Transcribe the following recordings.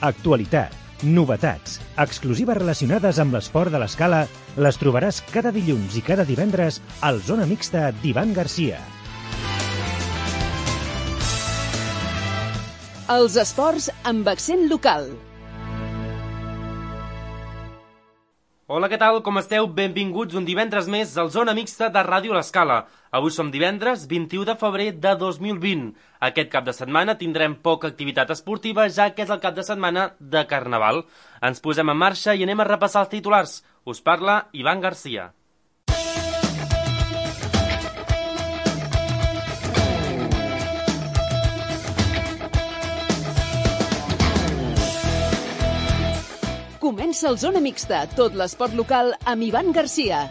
Actualitat, novetats, exclusives relacionades amb l'esport de l'escala les trobaràs cada dilluns i cada divendres al Zona Mixta d'Ivan Garcia. Els esports amb accent local. Hola, què tal? Com esteu? Benvinguts un divendres més al Zona Mixta de Ràdio L'Escala. Avui som divendres 21 de febrer de 2020. Aquest cap de setmana tindrem poca activitat esportiva, ja que és el cap de setmana de Carnaval. Ens posem en marxa i anem a repassar els titulars. Us parla Ivan Garcia. Comença el Zona Mixta, tot l'esport local amb Ivan Garcia.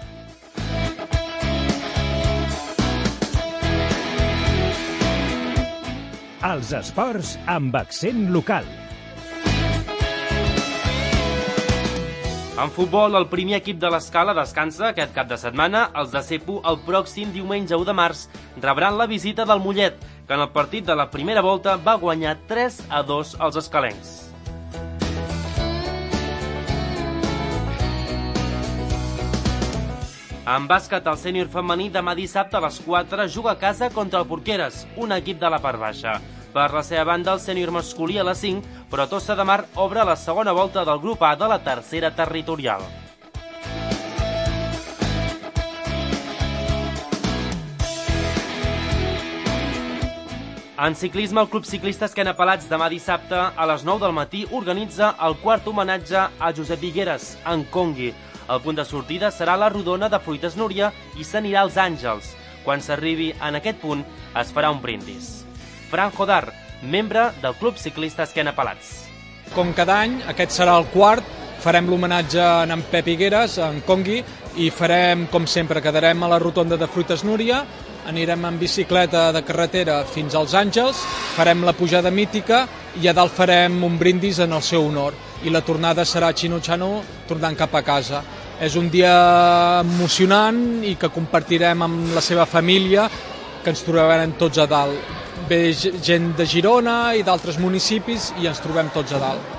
Els esports amb accent local. En futbol, el primer equip de l'Escala descansa aquest cap de setmana. Els de Cepu, el pròxim diumenge 1 de març, rebran la visita del Mollet, que en el partit de la primera volta va guanyar 3-2 als escalencs. En bàsquet, el sènior femení demà dissabte a les 4 juga a casa contra el Porqueres, un equip de la part baixa. Per la seva banda, el sènior masculí a les 5, però Tossa de Mar obre la segona volta del grup A de la tercera territorial. En ciclisme, el Club Ciclista Esquena Pelats demà dissabte a les 9 del matí organitza el quart homenatge a Josep Vigueras, en Congui. El punt de sortida serà la rodona de Fruites Núria i s'anirà als Àngels. Quan s'arribi en aquest punt, es farà un brindis. Fran Jodar, membre del Club Ciclista Esquena Pelats. Com cada any, aquest serà el quart. Farem l'homenatge a en Pep Higueras, en Congui, i farem, com sempre, quedarem a la rotonda de Fruites Núria, anirem en bicicleta de carretera fins als Àngels, farem la pujada mítica i a dalt farem un brindis en el seu honor. I la tornada serà Xino-Xano tornant cap a casa. És un dia emocionant i que compartirem amb la seva família, que ens trobarem tots a dalt. Ve gent de Girona i d'altres municipis i ens trobem tots a dalt.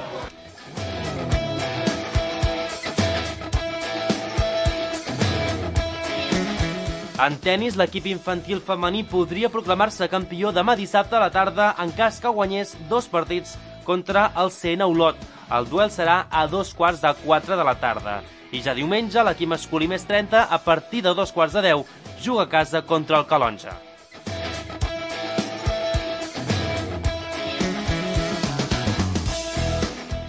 En tennis, l'equip infantil femení podria proclamar-se campió demà dissabte a la tarda en cas que guanyés 2 partits contra el CN Olot. El duel serà a 3:15 de la tarda. I ja diumenge, l'equip masculí més 30, a partir de 10:15, juga a casa contra el Calonja.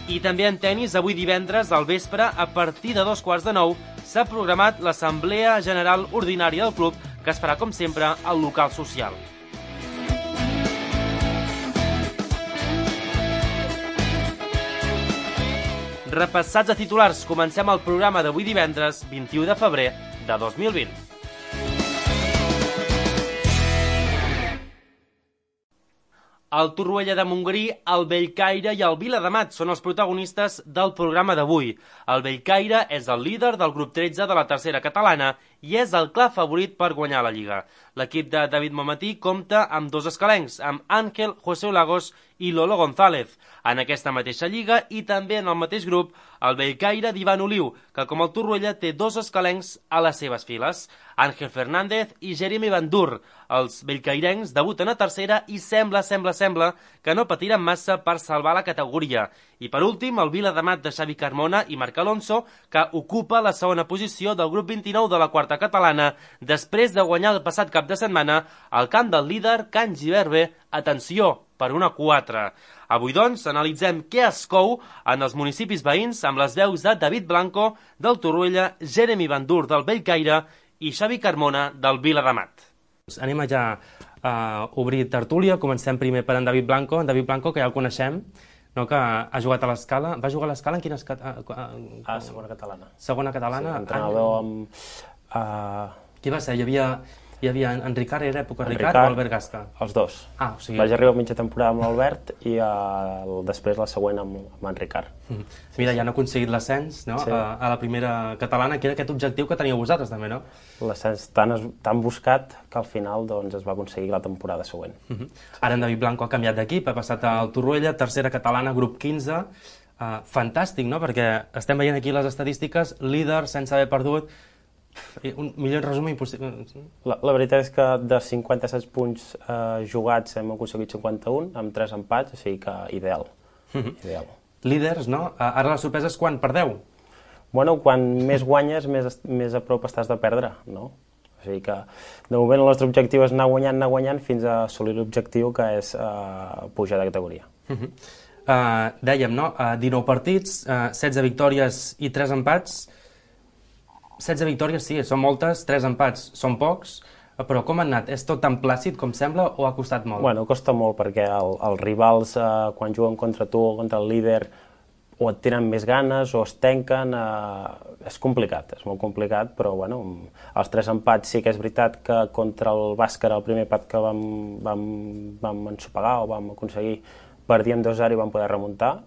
I també en tennis, avui divendres, al vespre, a partir de 9:15, s'ha programat l'Assemblea General Ordinària del club, que es farà, com sempre, al local social. Repassats a titulars, comencem el programa d'avui divendres, 21 de febrer de 2020. El Torroella de Montgrí, el Bellcaire i el Viladamat són els protagonistes del programa d'avui. El Bellcaire és el líder del grup 13 de la tercera catalana i és el clar favorit per guanyar la Lliga. L'equip de David Momatí compta amb 2 escalencs, amb Ángel José Lagos i Lolo González. En aquesta mateixa lliga i també en el mateix grup, el Bellcaire d'Ivan Oliu, que com el Torroella té 2 escalencs a les seves files. Ángel Fernández i Jeremy Bandur. Els bellcairencs debuten a tercera i sembla que no patiran massa per salvar la categoria. I per últim, el Viladamat de Xavi Carmona i Marc Alonso, que ocupa la segona posició del grup 29 de la quarta catalana, després de guanyar el passat cap de setmana al camp del líder Can Giberbe, atenció, per 1-4. Avui, doncs, analitzem què es cou en els municipis veïns amb les veus de David Blanco, del Torroella, Jeremy Bandur, del Bellcaire, i Xavi Carmona, del Viladamat. Anem a ja a obrir tertúlia. Comencem primer per en David Blanco. En David Blanco, que ja el coneixem, no? Que ha jugat a l'Escala. Va jugar a l'Escala en quines... Segona catalana. Segona catalana. Sí, entrenador amb... Qui va ser? Hi havia Hi havia en Ricard, era època Ricard o Albert Gasca? Els dos. O sigui... Vaig arribar a mitja temporada amb l'Albert i després la següent amb en Ricard. Mira, ja han aconseguit l'ascens, no? Sí. A la primera catalana, que era aquest objectiu que teníeu vosaltres també, no? L'ascens tan buscat que al final doncs, es va aconseguir la temporada següent. Ara en David Blanco ha canviat d'equip, ha passat al Torroella, tercera catalana, grup 15. Fantàstic, no? Perquè estem veient aquí les estadístiques, líder, sense haver perdut. Un millor resum impossible. La veritat és que de 57 punts jugats hem aconseguit 51, amb 3 empats, o sigui que ideal. Ideal. Líders, no? Ara la sorpresa és quan perdeu. Bueno, quan més guanyes, més a prop estàs de perdre, no? O sigui que, de moment, el nostre objectiu és anar guanyant, fins a assolir l'objectiu, que és pujar de categoria. Dèiem, no? 19 partits, 16 victòries i 3 empats. 16 victòries, sí, són moltes, 3 empats són pocs, però com han anat? És tot tan plàcid com sembla o ha costat molt? Bueno, costa molt perquè els rivals, quan juguen contra tu o contra el líder, o et tenen més ganes o es tanquen, és complicat, és molt complicat, però bueno, els 3 empats sí que és veritat que contra el Bàscara, el primer empat que vam ensopegar o vam aconseguir, perdíem 2-0 i vam poder remuntar.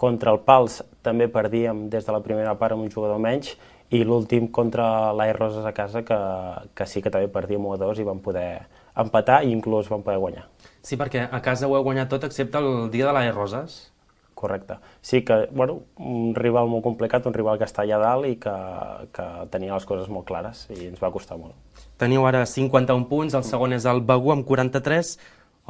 Contra el Pals també perdíem des de la primera part amb un jugador menys, i l'últim contra l'AE Roses a casa, que sí que també perdíem 1-2 i vam poder empatar i inclús vam poder guanyar. Sí, perquè a casa ho heu guanyat tot excepte el dia de l'AE Roses. Correcte. Sí que, bueno, un rival molt complicat, un rival que està allà dalt i que tenia les coses molt clares i ens va costar molt. Teniu ara 51 punts, el segon és el Begur amb 43.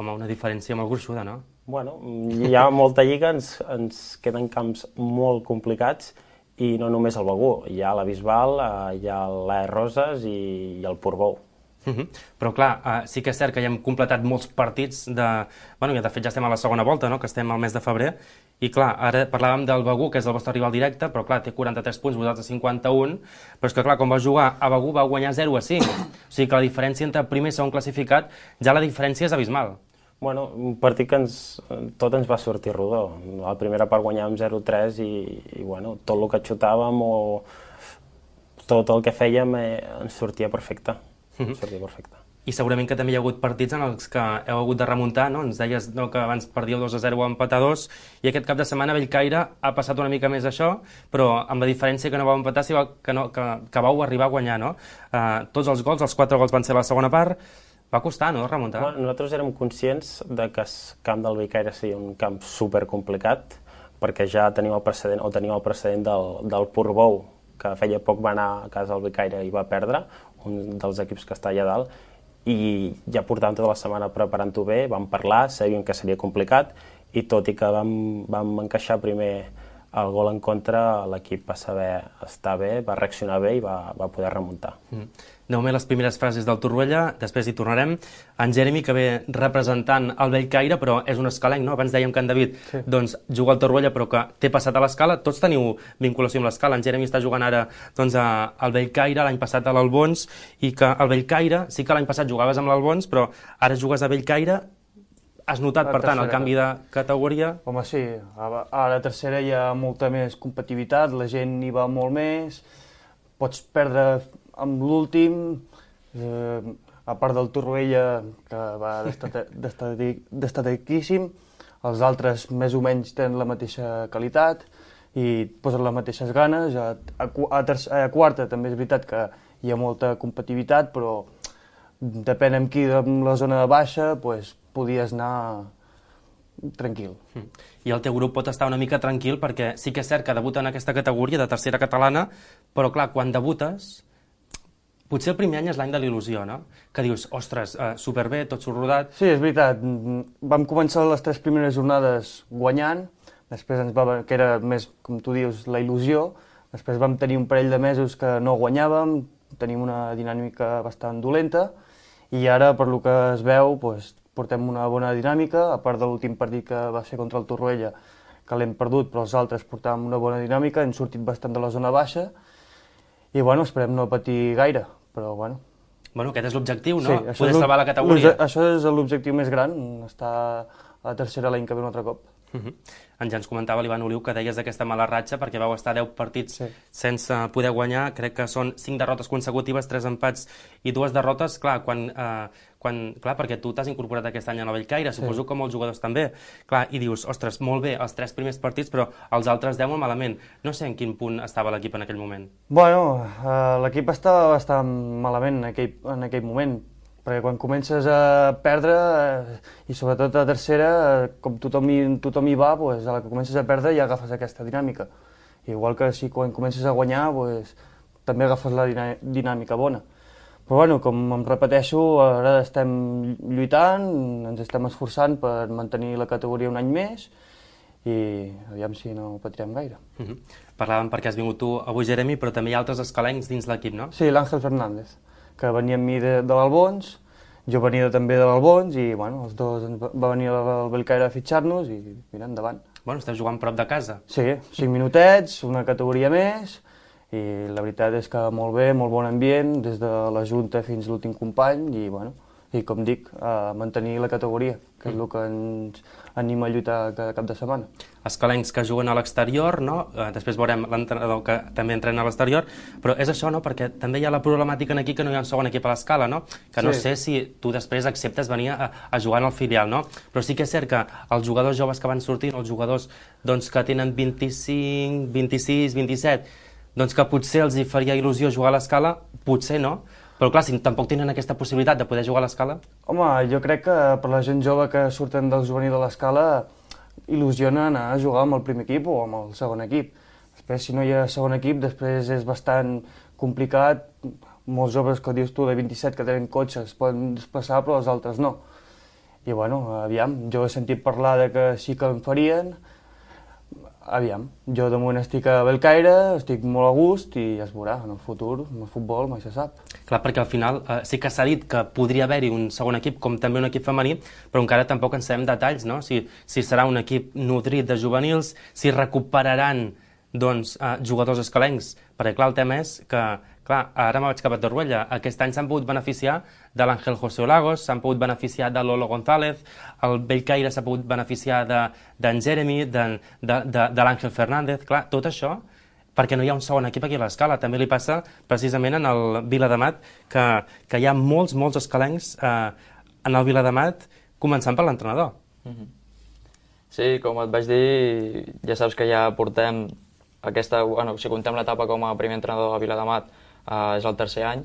Home, una diferència molt gruixuda, no? Bueno, hi ha molta lliga, ens queden camps molt complicats i no només el Begur, hi ha la Bisbal, hi ha l'AE Roses i el Portbou. Però clar, sí que és cert que ja hem completat molts partits Bueno, de fet ja estem a la segona volta, no? Que estem al mes de febrer, i clar, ara parlàvem del Begur, que és el vostre rival directe, però clar, té 43 punts, vosaltres 51, però és que clar, quan va jugar a Begur va guanyar 0-5, o sigui que la diferència entre primer i segon classificat, ja la diferència és abismal. Bueno, un partit que tot ens va sortir rodó. A la primera part guanyàvem 0-3 i bueno, tot el que xutàvem o tot el que fèiem ens sortia perfecte. I segurament que també hi ha hagut partits en els que heu hagut de remuntar, no? Ens deies que abans perdíeu 2-0 o empatar 2, i aquest cap de setmana a Bellcaire ha passat una mica més això, però amb la diferència que no vau empatar, que vau arribar a guanyar, no? Tots els gols, els 4 gols van ser a la segona part. Va costar, no?, remuntar. Bueno, nosaltres érem conscients de que el camp del Bellcaire seria un camp supercomplicat, perquè ja tenim el precedent del Portbou, que feia poc va anar a casa del Bellcaire i va perdre, un dels equips que està allà dalt, i ja portàvem tota la setmana preparant-ho bé, vam parlar, sabíem que seria complicat, i tot i que vam encaixar primer el gol en contra, l'equip va saber estar bé, va reaccionar bé i va poder remuntar. De moment les primeres frases del Torroella, després hi tornarem. En Jeremy, que ve representant el Bellcaire, però és un escalenc, no? Abans dèiem que en David juga al Torroella, però que té passat a l'Escala. Tots teniu vinculació amb l'Escala. En Jeremy està jugant ara al Bellcaire, l'any passat a l'Albons, i que al Bellcaire, sí que l'any passat jugaves amb l'Albons, però ara jugues a Bellcaire. Has notat, per tant, el canvi de categoria? Home, sí. A la tercera hi ha molta més competitivitat, la gent hi va molt més, pots perdre amb l'últim, a part del Torroella, que va destatiquíssim, els altres més o menys tenen la mateixa qualitat i posen les mateixes ganes. A quarta també és veritat que hi ha molta competitivitat, però depèn amb qui, amb la zona de baixa, podies anar tranquil. I el teu grup pot estar una mica tranquil perquè sí que és cert que debuta en aquesta categoria de tercera catalana, però clar, quan debutes, potser el primer any és l'any de l'il·lusió, no? Que dius, ostres, superbé, tot surt rodat. Sí, és veritat. Vam començar les 3 primeres jornades guanyant, després que era més, com tu dius, la il·lusió, després vam tenir un parell de mesos que no guanyàvem, tenim una dinàmica bastant dolenta, i ara, per lo que es veu, portem una bona dinàmica, a part de l'últim partit que va ser contra el Torroella, que l'hem perdut, però els altres portàvem una bona dinàmica, hem sortit bastant de la zona baixa, i bueno, esperem no patir gaire, però bueno. Bueno, aquest és l'objectiu, no? Sí, poder salvar la categoria. Això és l'objectiu més gran, estar a la tercera l'any que ve un altre cop. Ens comentava l'Ivan Oliu que deies d'aquesta mala ratxa perquè vau estar 10 partits sense poder guanyar, crec que són 5 derrotes consecutives, 3 empats i 2 derrotes, clar, perquè tu t'has incorporat aquest any a la Bellcaire, suposo que molts jugadors també, clar, i dius, ostres, molt bé, els 3 primers partits, però els altres 10 molt malament. No sé en quin punt estava l'equip en aquell moment. Bueno, l'equip estava bastant malament en aquell moment, perquè quan comences a perdre, i sobretot a tercera, com tothom hi va, a la que comences a perdre ja agafes aquesta dinàmica. Igual que si quan comences a guanyar, també agafes la dinàmica bona. Però bueno, com em repeteixo, ara estem lluitant, ens estem esforçant per mantenir la categoria un any més, i aviam si no ho patirem gaire. Parlàvem perquè has vingut tu avui, Jeremy, però també hi ha altres escalencs dins l'equip, no? Sí, l'Àngel Fernández, que venia amb mi de l'Albons, jo venia també de l'Albons i els dos va venir al Bellcaire a fitxar-nos i mira, endavant. Bueno, esteu jugant prop de casa. Sí, 5 minutets, una categoria més i la veritat és que molt bé, molt bon ambient, des de la Junta fins l'últim company i com dic, a mantenir la categoria, que és el que ens anima a lluitar cada cap de setmana. Escalencs que juguen a l'exterior, no? Després veurem l'entrenador que també entrena a l'exterior, però és això, no? Perquè també hi ha la problemàtica aquí que no hi ha un segon equip a l'escala, no? Que no sé si tu després acceptes venir a jugar en el filial, no? Però sí que és cert que els jugadors joves que van sortint, els jugadors que tenen 25, 26, 27, doncs que potser els hi faria il·lusió jugar a l'escala, potser no, però clar, si tampoc tenen aquesta possibilitat de poder jugar a l'escala... Home, jo crec que per la gent jove que surten del juvenil de l'escala il·lusiona anar a jugar amb el primer equip o amb el segon equip. Després, si no hi ha segon equip, després és bastant complicat. Molts joves, que dius tu, de 27 que tenen cotxes poden desplaçar, però els altres no. I aviam, jo he sentit parlar de que sí que en farien. Aviam, jo de moment estic a Bellcaire, estic molt a gust i ja es veurà, en el futur, en el futbol mai se sap. Clar, perquè al final sí que s'ha dit que podria haver-hi un segon equip, com també un equip femení, però encara tampoc en sabem detalls, no? Si serà un equip nodrit de juvenils, si recuperaran jugadors escalencs, perquè clar, el tema és que, clar, ara me vaig cap a Torroella, aquest any s'han pogut beneficiar de l'Àngel José Olagos, s'han pogut beneficiar de Lolo González, el Bellcaire s'ha pogut beneficiar d'en Jeremy, de l'Àngel Fernández, clar, tot això perquè no hi ha un segon equip aquí a l'escala. També li passa precisament en el Viladamat, que hi ha molts escalencs en el Viladamat, començant per l'entrenador. Sí, com et vaig dir, ja saps que ja portem si contem l'etapa com a primer entrenador a Viladamat, és el tercer any,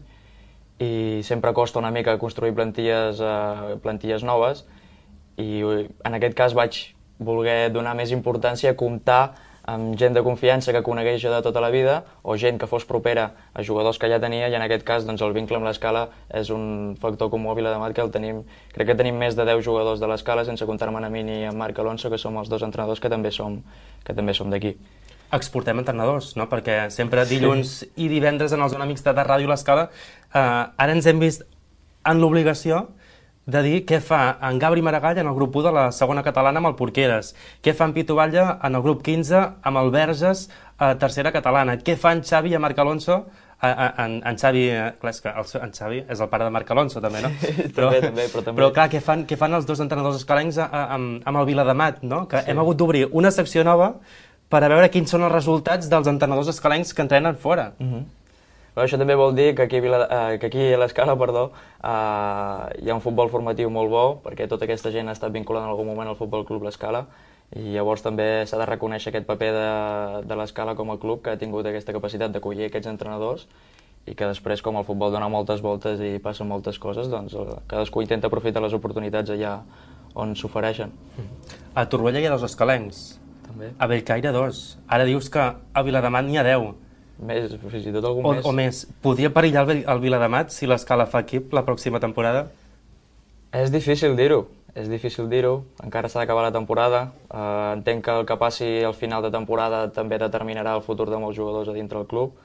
i sempre costa una mica construir plantilles noves, i en aquest cas vaig voler donar més importància a comptar amb gent de confiança que conegués jo de tota la vida, o gent que fos propera a jugadors que ja tenia, i en aquest cas el vincle amb l'escala és un factor comú a Viladamat, que crec que tenim més de 10 jugadors de l'escala, sense comptar-me a mi ni a Marc Alonso, que som els dos entrenadors que també som d'aquí. Exportem entrenadors, no? Perquè sempre dilluns i divendres en el Zona Mixta de Ràdio L'Escala ara ens hem vist en l'obligació de dir què fa en Gabri Maragall en el grup 1 de la segona catalana amb el Porqueres, què fa en Pitu Batlle en el grup 15 amb el Verges a tercera catalana, què fa en Xavi i en Marc Alonso, en Xavi, clar, és que en Xavi és el pare de Marc Alonso també, no? Però clar, què fan els dos entrenadors escalencs amb el Viladamat, no? Que hem hagut d'obrir una secció nova per a veure quins són els resultats dels entrenadors escalencs que entrenen fora. Això també vol dir que aquí a l'Escala hi ha un futbol formatiu molt bo, perquè tota aquesta gent ha estat vinculada en algun moment al Futbol Club L'Escala, i llavors també s'ha de reconèixer aquest paper de l'Escala com a club, que ha tingut aquesta capacitat d'acollir aquests entrenadors, i que després, com el futbol dona moltes voltes i passen moltes coses, doncs cadascú intenta aprofitar les oportunitats allà on s'ofereixen. A Torroella hi ha 2 escalencs. A Bellcaire 2. Ara dius que a Viladamat n'hi ha 10. Més, fins i tot algun més. O més. Podria perillar el Viladamat si l'Escala fa equip la pròxima temporada? És difícil dir-ho. Encara s'ha d'acabar la temporada. Entenc que el que passi al final de temporada també determinarà el futur de molts jugadors a dintre del club.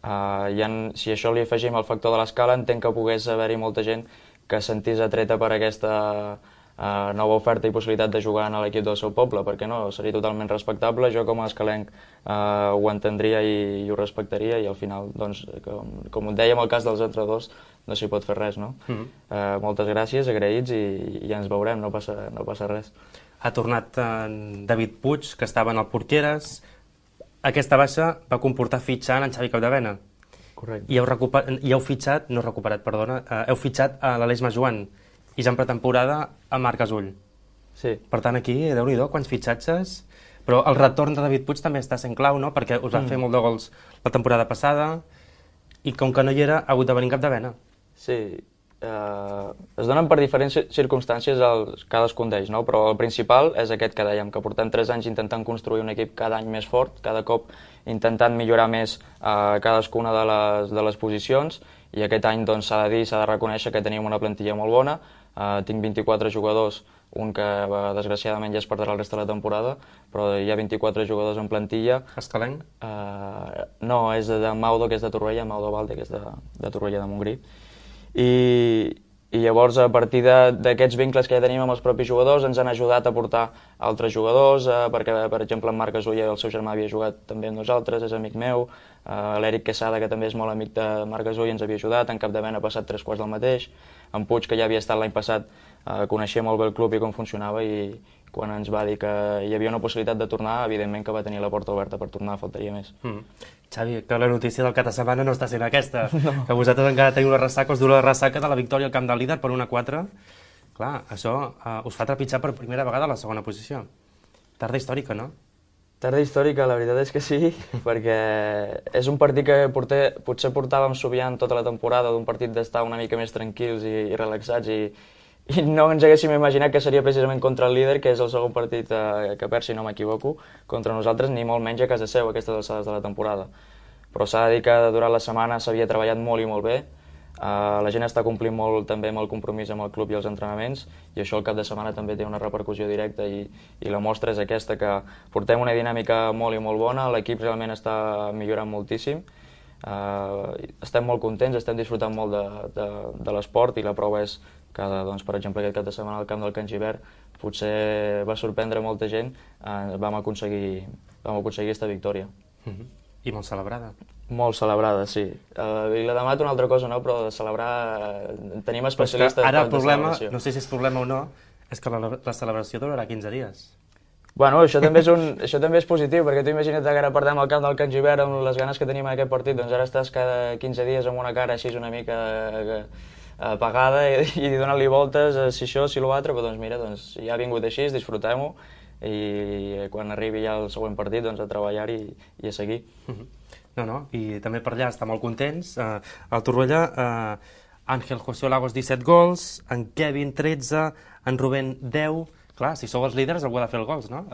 Si això li afegim el factor de l'Escala, entenc que pogués haver-hi molta gent que es sentís atreta per aquesta nova oferta i possibilitat de jugar en l'equip del seu poble, perquè no, seria totalment respectable. Jo com a escalenc ho entendria i ho respectaria, i al final, doncs, com et dèiem, el cas dels entrenadors no s'hi pot fer res, no? Moltes gràcies, agraïts, i ja ens veurem, no passa res. ha tornat en David Puig, que estava en el Porqueres. Aquesta baixa va comportar fitxar en Xavi Capdevena. Correcte. I heu fitxat, no recuperat, perdona, heu fitxat a l'Aleix Majoan i ja en pretemporada a Marc Gasull. Sí. Per tant, aquí, Déu-n'hi-do, quants fitxatges. Però el retorn de David Puig també està sent clau, no? Perquè us va fer molt de gols la temporada passada i com que no hi era, ha hagut de venir en Capdevena. Sí, es donen per diferents circumstàncies cadascun d'ells, no? Però el principal és aquest que dèiem, que portem 3 anys intentant construir un equip cada any més fort, cada cop intentant millorar més cadascuna de les posicions, i aquest any doncs, s'ha de dir, s'ha de reconèixer que tenim una plantilla molt bona. Tinc 24 jugadors, un que desgraciadament ja es perdrà el rest de la temporada, però hi ha 24 jugadors en plantilla. Escalenc? No, és de Maudo, que és de Torroella, Maudo Valde, que és de Torroella de Montgrí. I llavors, a partir d'aquests vincles que ja tenim amb els propis jugadors, ens han ajudat a portar altres jugadors, perquè, per exemple, en Marc Gasull, el seu germà, havia jugat també amb nosaltres, és amic meu, l'Eric Quesada, que també és molt amic de Marc Gasull, ens havia ajudat, en Capdevena ha passat 3 quarts del mateix, en Puig, que ja havia estat l'any passat, coneixia molt bé el club i com funcionava, i quan ens va dir que hi havia una possibilitat de tornar, evidentment que va tenir la porta oberta per tornar, faltaria més. Xavi, que la notícia del cap de setmana no està sent aquesta, que vosaltres encara teniu la ressaca, us dura la ressaca de la victòria al camp del líder per 1-4. Clar, això us fa trepitjar per primera vegada a la segona posició. Tarda històrica, no? Tarda històrica, la veritat és que sí, perquè és un partit que potser portàvem soviant tota la temporada, d'un partit d'estar una mica més tranquils i relaxats, i no ens haguéssim imaginat que seria precisament contra el líder, que és el segon partit que perd, si no m'equivoco, contra nosaltres, ni molt menys a casa seu, aquestes alçades de la temporada. Però s'ha de dir que durant la setmana s'havia treballat molt i molt bé, la gent està complint molt també amb el compromís amb el club i els entrenaments, i això al cap de setmana també té una repercussió directa, i la mostra és aquesta, que portem una dinàmica molt i molt bona, l'equip realment està millorant moltíssim, estem molt contents, estem disfrutant molt de l'esport, i la prova és que, doncs, per exemple, aquest cap de setmana al camp del Can Gibert potser va sorprendre molta gent, vam aconseguir aquesta victòria. I molt celebrada. Molt celebrada, sí. Vilademat una altra cosa, no? Però de celebrar tenim especialistes... Ara el problema, no sé si és problema o no, és que la celebració durarà 15 dies. Bueno, això també és positiu, perquè tu imagina't que ara perdem el camp del Can Gibert amb les ganes que tenim en aquest partit, doncs ara estàs cada 15 dies amb una cara així una mica apagada i donant-li voltes, si això, si l'altre, però doncs mira, ja ha vingut així, disfrutem-ho, i quan arribi ja el següent partit, doncs a treballar-hi i a seguir. No, i també per allà estan molt contents. Al Torroella, Àngel José Lagos 17 gols, en Kevin 13, en Rubén 10. Clar, si sou els líders algú ha de fer els gols, no?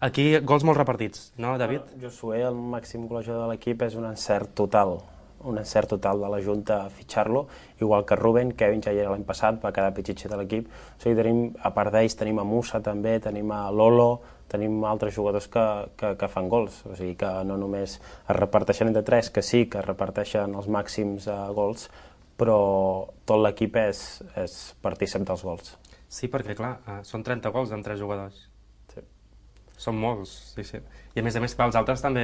Aquí gols molt repartits, no, David? Josué, el màxim golejador de l'equip, és un encert total de la Junta a fitxar-lo, igual que Rubén. Kevin ja hi era l'any passat, va quedar pitxitxer de l'equip. O sigui, tenim, a part d'ells, tenim a Musa també, tenim a Lolo, tenim altres jugadors que fan gols. O sigui que no només es reparteixen entre 3, que sí que es reparteixen els màxims gols, però tot l'equip és partícip dels gols. Sí, perquè clar, són 30 gols amb 3 jugadors. Són molts, sí. I a més, els altres també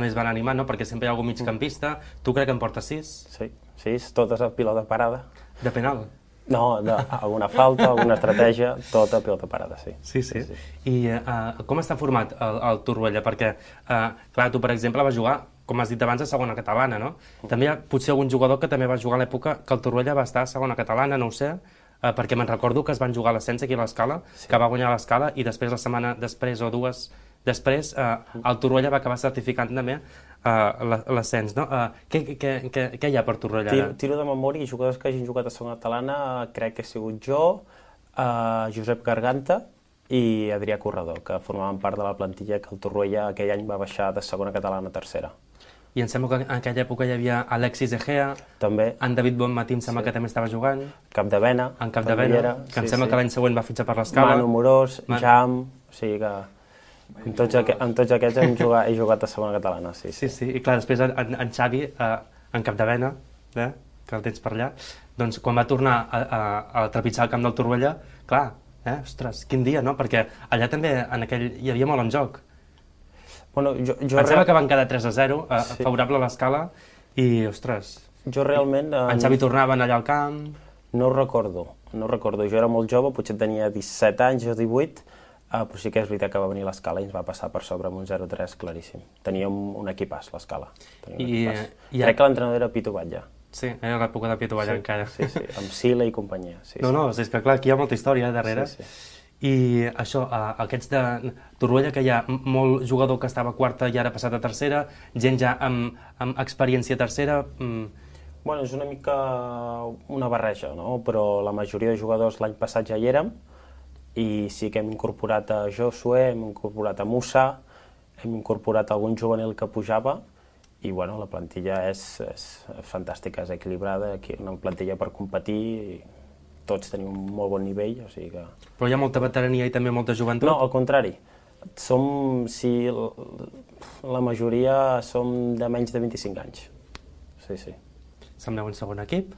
es van animar, no? Perquè sempre hi ha algun migcampista. Tu crec que en portes 6? Sí, 6, totes a pilota parada. De penal? No, alguna falta, alguna estratègia, tota pilota parada, sí. Sí. I com està format el Torroella? Perquè, clar, tu, per exemple, vas jugar, com has dit abans, a segona catalana, no? També hi ha potser algun jugador que també va jugar a l'època que el Torroella va estar a segona catalana, no ho sé, perquè me'n recordo que es van jugar a l'ascens aquí a l'Escala, que va guanyar l'Escala, i després, la setmana després o dues després, el Torroella va acabar certificant també l'ascens, no? Què hi ha per Torroella ara? Tiro de memòria, i jugadors que hagin jugat a segona catalana, crec que he sigut jo, Josep Garganta i Adrià Corredor, que formaven part de la plantilla que el Torroella aquell any va baixar de segona catalana a tercera. I em sembla que en aquella època hi havia Alexis Egea, també. En David Bonmatí em sembla que també estava jugant. Capdevena. En Capdevena, que em sembla que l'any següent va fitxar per l'Escala. Manu Morós, Jam, o sigui que amb tots aquests he jugat a segona catalana, sí. I clar, després en Xavi, en Capdevena, que el tens per allà, doncs quan va tornar a trepitjar el camp del Torroella, clar, ostres, quin dia, no? Perquè allà també en aquell hi havia molt en joc. Bueno, em sembla que van quedar 3-0, favorable a l'Escala, i, ostres, jo realment... en Xavi tornaven allà al camp... No ho recordo. Jo era molt jove, potser tenia 17 anys o 18, Però sí que és veritat que va venir l'Escala i ens va passar per sobre amb un 0-3 claríssim. Teníem un equipàs, l'Escala. Crec que l'entrenador era Pitu Batlle. Sí, era l'època de Pitu Batlle encara. Sí, amb Sila i companyia. No, és que clar, aquí hi ha molta història darrere. Sí. I això, aquests de Torroella, que hi ha molt jugador que estava a quarta i ara ha passat a tercera, gent ja amb experiència a tercera... Bueno, és una mica una barreja, no? Però la majoria de jugadors l'any passat ja hi érem i sí que hem incorporat a Josué, hem incorporat a Musa, hem incorporat algun juvenil que pujava i bueno, la plantilla és fantàstica, és equilibrada, una plantilla per competir i tots tenim un molt bon nivell, o sigui que... Però hi ha molta veterania i també molta joventut? No, al contrari. La majoria som de menys de 25 anys. Sí. Sembleu un segon equip?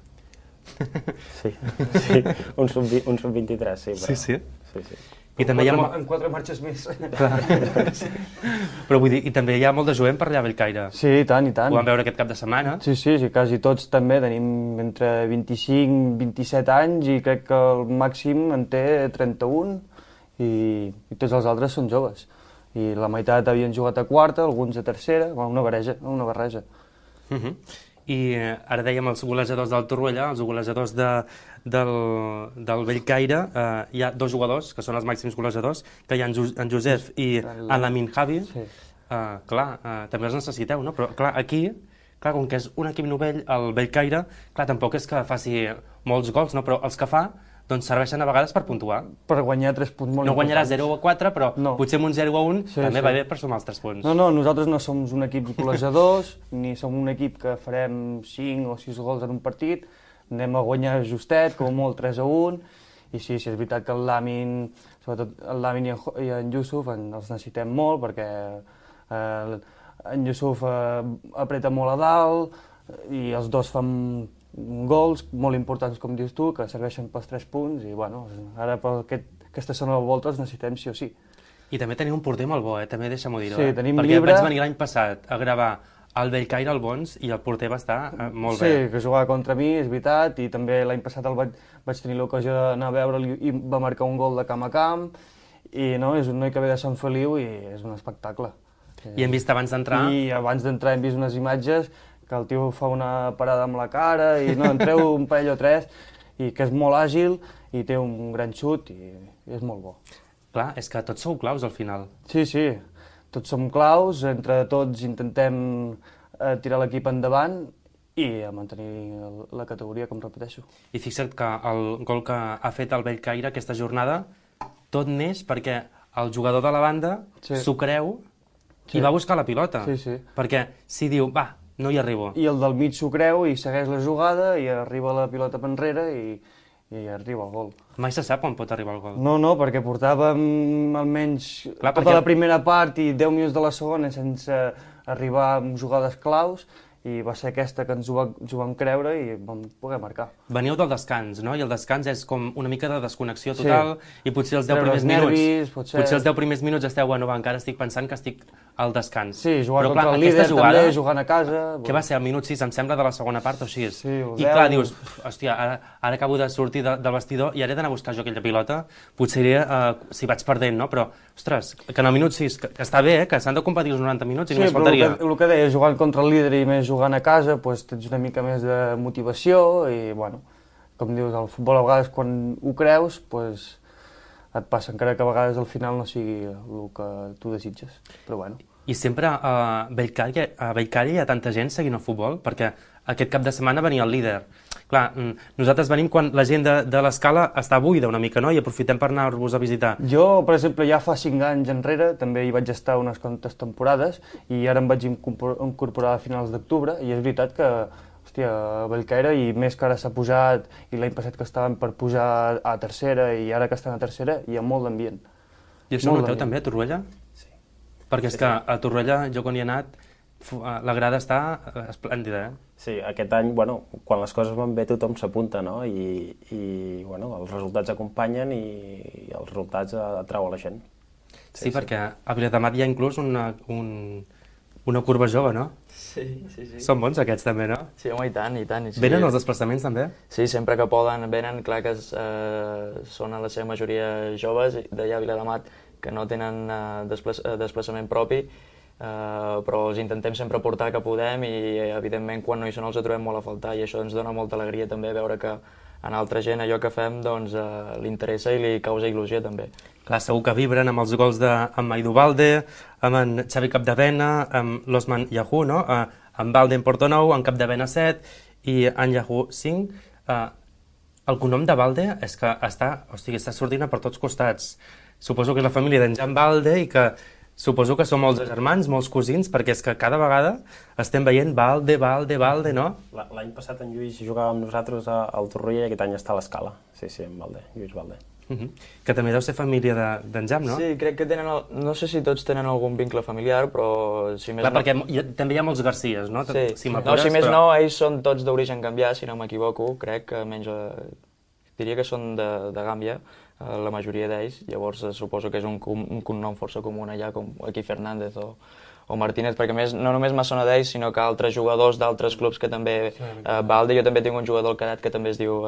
Sí. Un sub-23, sí. Sí. I també hi ha... En 4 marxes més. Però vull dir, i també hi ha molt de jovent per allà a Bellcaire. Sí, i tant. Ho vam veure aquest cap de setmana. Sí, quasi tots també. Tenim entre 25 i 27 anys i crec que el màxim en té 31 i tots els altres són joves. I la meitat havien jugat a quarta, alguns a tercera, una barreja. I ara dèiem els golejadors del Torroella, els golejadors del Bellcaire, hi ha 2 jugadors, que són els màxims golejadors, que hi ha en Josep i en Lamin Javi. També els necessiteu, no? Però clar, aquí, com que és un equip novell, el Bellcaire, tampoc és que faci molts gols, no? Però els que fa, doncs serveixen a vegades per puntuar. Per guanyar 3 punts molt importants. No guanyarà 0-4, però potser amb un 0-1 també va bé per sumar els 3 punts. No, nosaltres no som un equip golejadors, ni som un equip que farem 5 o 6 gols en un partit, anem a guanyar justet, com molt 3-1, i sí, és veritat que el Lamin, sobretot el Lamin i en Yusuf els necessitem molt, perquè en Yusuf apreta molt a dalt, i els dos fan gols molt importants, com dius tu, que serveixen pels 3 punts, i bueno, ara per aquesta zona de volta els necessitem sí o sí. I també teniu un porter molt bo, també deixa'm-ho dir-ho. Sí, tenim perquè Llibre... vaig venir l'any passat a gravar al Bellcaire al Bons i el porter va estar molt bé. Sí, que jugava contra mi, és veritat, i també l'any passat vaig tenir l'ocasió d'anar a veure'l i va marcar un gol de camp a camp, i no, és un noi que ve de Sant Feliu i és un espectacle. I hem vist abans d'entrar... I abans d'entrar hem vist unes imatges que el tio fa una parada amb la cara i no, en treu un parell o 3 i que és molt àgil i té un gran xut i és molt bo. Clar, és que tots sou claus al final. Sí, tots som claus, entre tots intentem tirar l'equip endavant i a mantenir la categoria, com repeteixo. I fixa't que el gol que ha fet el Bellcaire aquesta jornada tot neix perquè el jugador de la banda s'ho creu i va buscar la pilota. Perquè si diu, va, no hi arribo. I el del mig s'ho creu i segueix la jugada i arriba la pilota per enrere i arriba el gol. Mai se sap on pot arribar el gol. No, perquè portàvem almenys tota la primera part i 10 minuts de la segona sense arribar amb jugades claus i va ser aquesta que ens ho vam creure i vam poder marcar. Veníeu del descans, no? I el descans és com una mica de desconnexió total i potser els 10 primers minuts... Potser els 10 primers minuts esteu, bueno, encara estic pensant que estic al descans. Sí, jugant contra el líder també, jugant a casa... Què va ser, al minut 6, em sembla, de la segona part o així? I clar, dius, hòstia, ara acabo de sortir del vestidor i ara he d'anar a buscar jo aquella pilota, potser si vaig perdent, no? Però, ostres, que en el minut 6, que està bé, que s'han de competir els 90 minuts i només faltaria. Sí, però el que deia, jugant contra el líder i més jugant a casa, doncs tens una mica més de motivació i, bueno, com dius, el futbol a vegades quan ho creus, doncs et passa, encara que a vegades al final no sigui el que tu desitges, però bueno. I sempre a Bellcaire hi ha tanta gent seguint el futbol, perquè aquest cap de setmana venia el líder. Clar, nosaltres venim quan la gent de l'Escala està buida una mica, no? I aprofitem per anar-vos a visitar. Jo, per exemple, ja fa 5 anys enrere, també hi vaig estar unes quantes temporades, i ara em vaig incorporar a finals d'octubre, i és veritat que, hòstia, a Bellcaire, i més que ara s'ha pujat, i l'any passat que estaven per pujar a tercera, i ara que estan a tercera, hi ha molt d'ambient. I això ho noteu també a Torroella? Sí. Perquè és que a Torroella, jo quan hi he anat, la grada està esplèndida, Sí, aquest any, bueno, quan les coses van bé tothom s'apunta, no? I bueno, els resultats acompanyen i els resultats atrauen la gent. Sí, perquè a Viladamat hi ha inclús una curva jove, no? Sí. Són bons aquests també, no? Sí, home, i tant. Sí. Venen els desplaçaments també? Sí, sempre que poden venen, clar que són a la seva majoria joves d'allà a Viladamat que no tenen desplaçament propi, però els intentem sempre portar que podem i evidentment quan no hi són els trobem molt a faltar i això ens dona molta alegria també veure que a altra gent allò que fem doncs, li interessa i li causa il·lusió també. Clar, segur que vibren amb els gols d'en Maidu Balde, amb en Xavi Capdevena, amb l'Osman Yahoo, no? En Balde en Porto Nou, en Capdevena 7 i en Yahoo 5. El cognom de Balde és que està sortint per tots costats. Suposo que és la família d'en Jan Balde i que suposo que són molts germans, molts cosins, perquè és que cada vegada estem veient Balde, no? L'any passat en Lluís jugava amb nosaltres al Torroella i aquest any està a l'Escala. Sí, en Balde, Lluís Balde. Que també deu ser família d'en Jam, no? Sí, crec que tenen, no sé si tots tenen algun vincle familiar, però si més no... Perquè també hi ha molts Garcies, no? Sí, si més no, ells són tots d'origen gambià, si no m'equivoco, crec que menys... Diria que són de Gàmbia, la majoria d'ells, llavors suposo que és un cognom força comú allà, com aquí Fernández o Martínez, perquè més, no només me sona d'ells, sinó que altres jugadors d'altres clubs que també... Balde, jo també tinc un jugador al Carat que també es diu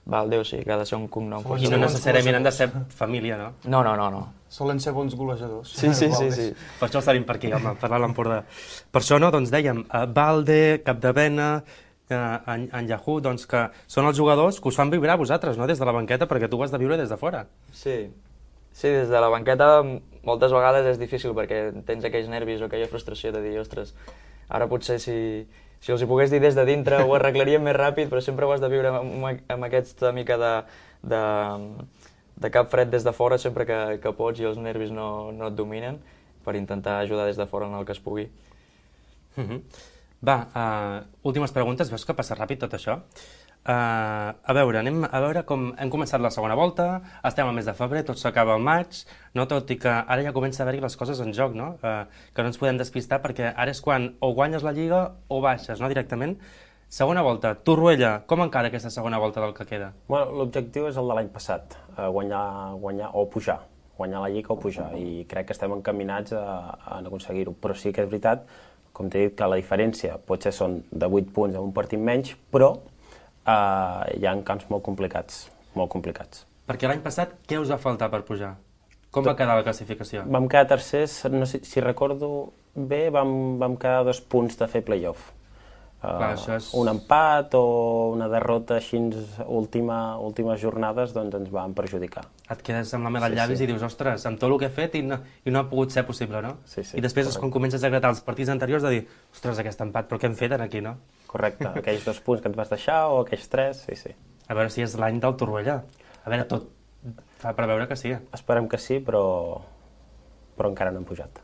Balde, o sigui que ha de ser un cognom força. I no necessàriament han de ser família, no? No. Solen ser bons golejadors. Sí. Per això estaríem per aquí, home, parlant a l'Empordà. Per això, no, doncs dèiem, Balde, Capdevena, en Yahoo, doncs que són els jugadors que us fan vibrar a vosaltres, no? Des de la banqueta, perquè tu ho has de viure des de fora. Sí, des de la banqueta moltes vegades és difícil perquè tens aquells nervis o aquella frustració de dir, ostres, ara potser si els hi pogués dir des de dintre ho arreglaríem més ràpid, però sempre ho has de viure amb aquesta mica de cap fred des de fora sempre que pots i els nervis no et dominen per intentar ajudar des de fora en el que es pugui. Va, últimes preguntes, veus que passa ràpid tot això? A veure, anem a veure com hem començat la segona volta, estem al mes de febrer, tot s'acaba al maig, no? Tot i que ara ja comença a haver-hi les coses en joc, no? Que no ens podem despistar perquè ara és quan o guanyes la Lliga o baixes, no? Directament. Segona volta, Torroella, com encara aquesta segona volta del que queda? Bueno, l'objectiu és el de l'any passat, guanyar o pujar, guanyar la Lliga o pujar, i crec que estem encaminats a aconseguir-ho, però sí que és veritat, com t'he dit, que la diferència potser són de 8 punts en un partit menys, però hi ha camps molt complicats. Perquè l'any passat què us va faltar per pujar? Com va quedar la classificació? Vam quedar tercers, no sé, si recordo bé, vam quedar 2 punts de fer play-off. Clar, un empat o una derrota així últimes jornades doncs ens van perjudicar. Et quedes amb la mel als llavis i dius, ostres, amb tot el que he fet i no ha pogut ser possible, no? Sí, I després és quan comences a gratar els partits anteriors de dir, ostres, aquest empat, però què hem fet aquí, no? Correcte, aquells 2 punts que ens vas deixar o aquells 3, sí. A veure si és l'any del Torroella. A veure, tot fa preveure que sí. Esperem que sí, però encara no hem pujat.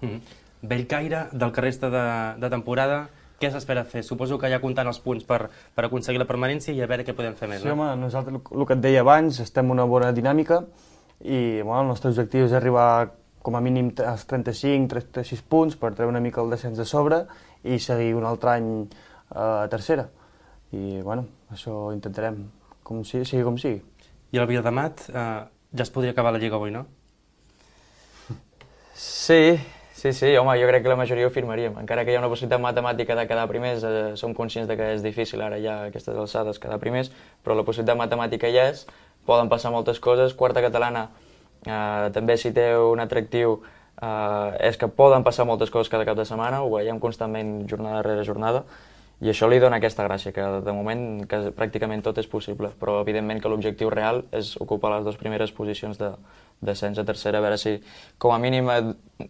Bellcaire, del que resta de temporada, què s'espera fer? Suposo que ja comptant els punts per aconseguir la permanència i a veure què podem fer més, no? Sí, home, nosaltres, el que et deia abans, estem en una bona dinàmica i el nostre objectiu és arribar com a mínim als 35-36 punts per treure una mica el descens de sobre i seguir un altre any a tercera. I, bueno, això intentarem, sigui com sigui. I el Vilademat ja es podria acabar la Lliga avui, no? Sí, home, jo crec que la majoria ho firmaríem. Encara que hi ha una possibilitat matemàtica de quedar primers, som conscients de que és difícil ara ja a aquestes alçades quedar primers, però la possibilitat matemàtica hi és, poden passar moltes coses. Quarta catalana també si té un atractiu és que poden passar moltes coses cada cap de setmana, ho veiem constantment jornada rere jornada, i això li dona aquesta gràcia, que de moment que pràcticament tot és possible, però evidentment que l'objectiu real és ocupar les 2 primeres posicions de descens a tercera, a veure si com a mínim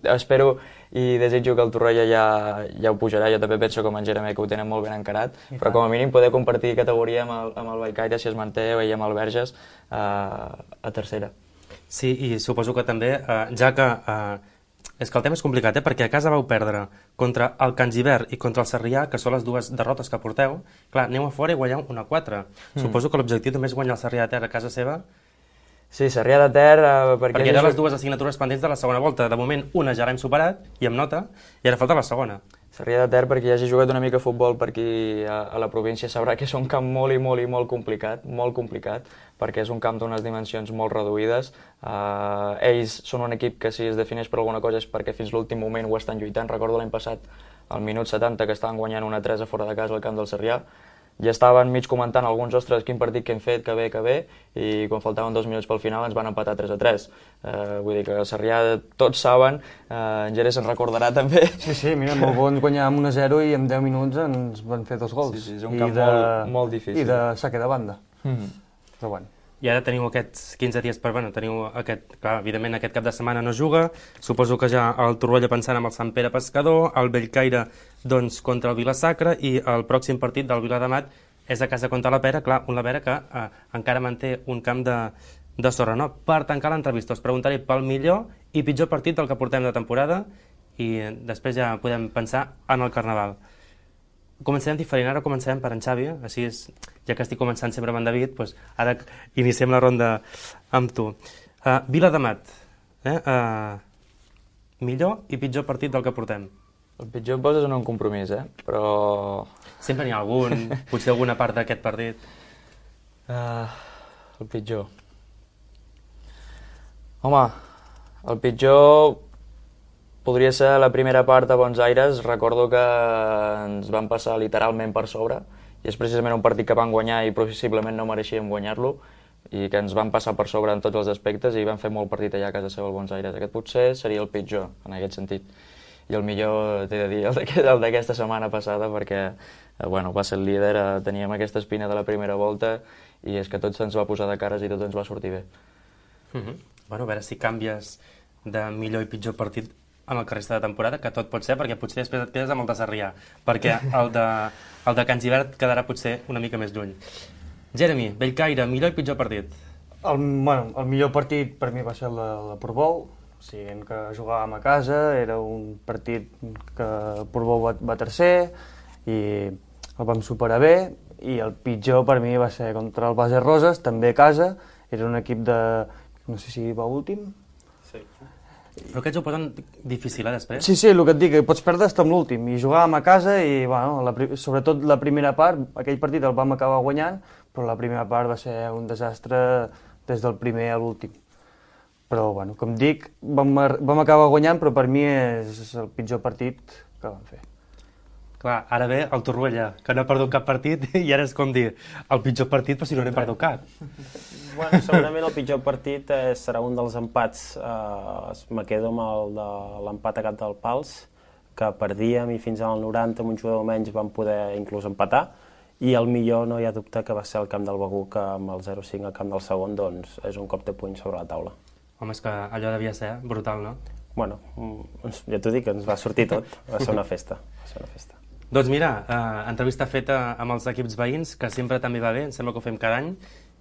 espero i desitjo que el Torroella ja ho pujarà. Jo també penso com en Jeremé que ho tenen molt ben encarat, però com a mínim poder compartir categoria amb el Bellcaire si es manté o amb el Verges a tercera. Sí, i suposo que també, ja que és que el tema és complicat, perquè a casa vau perdre contra el Can Gibert i contra el Sarrià, que són les 2 derrotes que porteu. Clar, aneu a fora i guanyeu 1-4. Suposo que l'objectiu també és guanyar el Sarrià de Ter a casa seva. Sí, Sarrià de Ter... Perquè eren les 2 assignatures pendents de la segona volta. De moment, una ja l'hem superat, i amb nota, i ara falta la segona. Sarrià de Ter, perquè ja hagi jugat una mica a futbol per aquí a la província, sabrà que és un camp molt complicat, perquè és un camp d'unes dimensions molt reduïdes. Ells són un equip que si es defineix per alguna cosa és perquè fins l'últim moment ho estan lluitant. Recordo l'any passat, al minut 70, que estaven guanyant 1-3 a fora de casa al camp del Sarrià. ja estaven mig comentant alguns, ostres, quin partit que hem fet, que bé, i quan faltaven 2 minuts pel final ens van empatar 3-3. Vull dir que a Sarrià tots saben, en Jerez se'n recordarà també. Sí, mira, molt bo, ens guanyàvem 1-0 i en 10 minuts ens van fer 2 gols. Sí, és un camp molt difícil. I de saque de banda. Però bueno. I ara teniu aquests 15 dies per... Bueno, teniu aquest... Clar, evidentment aquest cap de setmana no juga, suposo que ja el Torroella pensant amb el Sant Pere Pescador, el Bellcaire doncs contra el Vila-sacra i el pròxim partit del Viladamat és a casa contra la Pera, clar, un la Pera que encara manté un camp de sorra, no? Per tancar l'entrevista us preguntaré pel millor i pitjor partit del que portem de temporada i després ja podem pensar en el Carnaval. Començarem diferent, ara començarem per en Xavi, així és, ja que estic començant sempre amb en David, doncs ara iniciem la ronda amb tu. Viladamat, millor i pitjor partit del que portem. El pitjor em poses en un compromís, però... Sempre n'hi ha algun, potser alguna part d'aquest partit. El pitjor... Home, el pitjor... Podria ser la primera part a Bons Aires, recordo que ens van passar literalment per sobre, i és precisament un partit que van guanyar i possiblement no mereixíem guanyar-lo, i que ens van passar per sobre en tots els aspectes i van fer molt partit allà a casa seva al Bons Aires. Aquest potser seria el pitjor, en aquest sentit. I el millor, t'he de dir, el d'aquesta setmana passada, perquè va ser el líder, teníem aquesta espina de la primera volta, i és que tot se'ns va posar de cares i tot ens va sortir bé. Bueno, a veure si canvies de millor i pitjor partit en el que resta de temporada, que tot pot ser, perquè potser després et quedes amb el de Sarrià, perquè el de Can Gibert quedarà potser una mica més lluny. Jeremy, Bellcaire, millor i pitjor partit? El millor partit per mi va ser el de Portbou, o sigui, que jugàvem a casa, era un partit que Portbou va tercer i el vam superar bé, i el pitjor per mi va ser contra el Base Roses, també a casa, era un equip de... no sé si va últim? Sí. Però aquests ho posen difícil, després? Sí, el que et dic, pots perdre fins a l'últim. I jugàvem a casa i, sobretot la primera part, aquell partit el vam acabar guanyant, però la primera part va ser un desastre des del primer a l'últim. Però, com dic, vam acabar guanyant, però per mi és el pitjor partit que vam fer. Clar, ara ve el Torroella, que no ha perdut cap partit, i ara és com dir, el pitjor partit, però si no n'hem perdut cap. Segurament el pitjor partit serà un dels empats. Me quedo amb el de l'empat a Cap del Pals, que perdíem i fins al 90 amb un jugador menys vam poder inclús empatar, i el millor no hi ha dubte que va ser el camp del Begur, que amb el 0-5 al camp del segon doncs és un cop de puny sobre la taula. Home, és que allò devia ser brutal, no? Bueno, ja t'ho dic, ens va sortir tot, va ser una festa. Doncs mira, entrevista feta amb els equips veïns, que sempre també va bé, em sembla que ho fem cada any,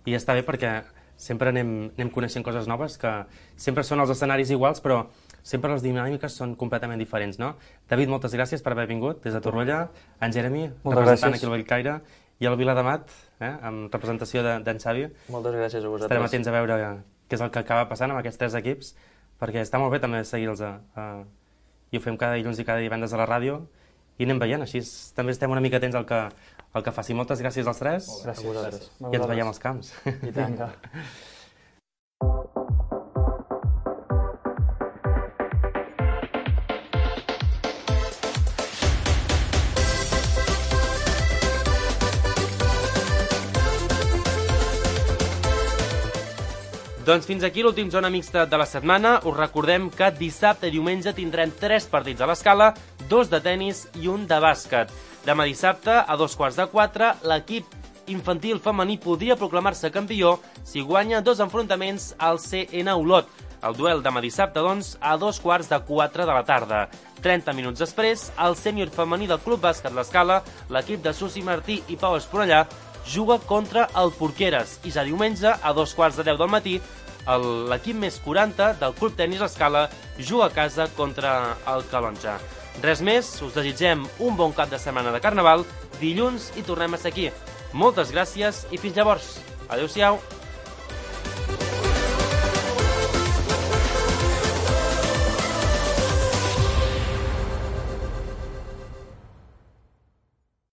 i està bé perquè sempre anem coneixent coses noves, que sempre són els escenaris iguals, però sempre les dinàmiques són completament diferents, no? David, moltes gràcies per haver vingut des de Torroella, en Jeremy, representant aquí al Bellcaire, i el Viladamat, amb representació d'en Xavi. Moltes gràcies a vosaltres. Estarem atents a veure què és el que acaba passant amb aquests 3 equips, perquè està molt bé també seguir-los, i ho fem cada dilluns i cada divendres a la ràdio, i anem veient, així també estem una mica atents al que faci. Moltes gràcies als 3. Gràcies a vosaltres. I ens veiem als camps. I tant. Doncs fins aquí l'últim Zona Mixta de la setmana. Us recordem que dissabte i diumenge tindrem 3 partits a l'escala, 2 de tennis i 1 de bàsquet. Demà dissabte, a 3:45, l'equip infantil femení podria proclamar-se campió si guanya 2 enfrontaments al CN Olot. El duel demà dissabte, doncs, a 3:45 de la tarda. 30 minuts després, el sènior femení del Club Bàsquet L'Escala, l'equip de Susi Martí i Pau Esponellà, juga contra el Porqueres, i ja diumenge, a 9:45 del matí, l'equip més 40 del Club Tenis Escala juga a casa contra el Calonja. Res més, us desitgem un bon cap de setmana de Carnaval, dilluns i tornem a ser aquí. Moltes gràcies i fins llavors. Adéu-siau.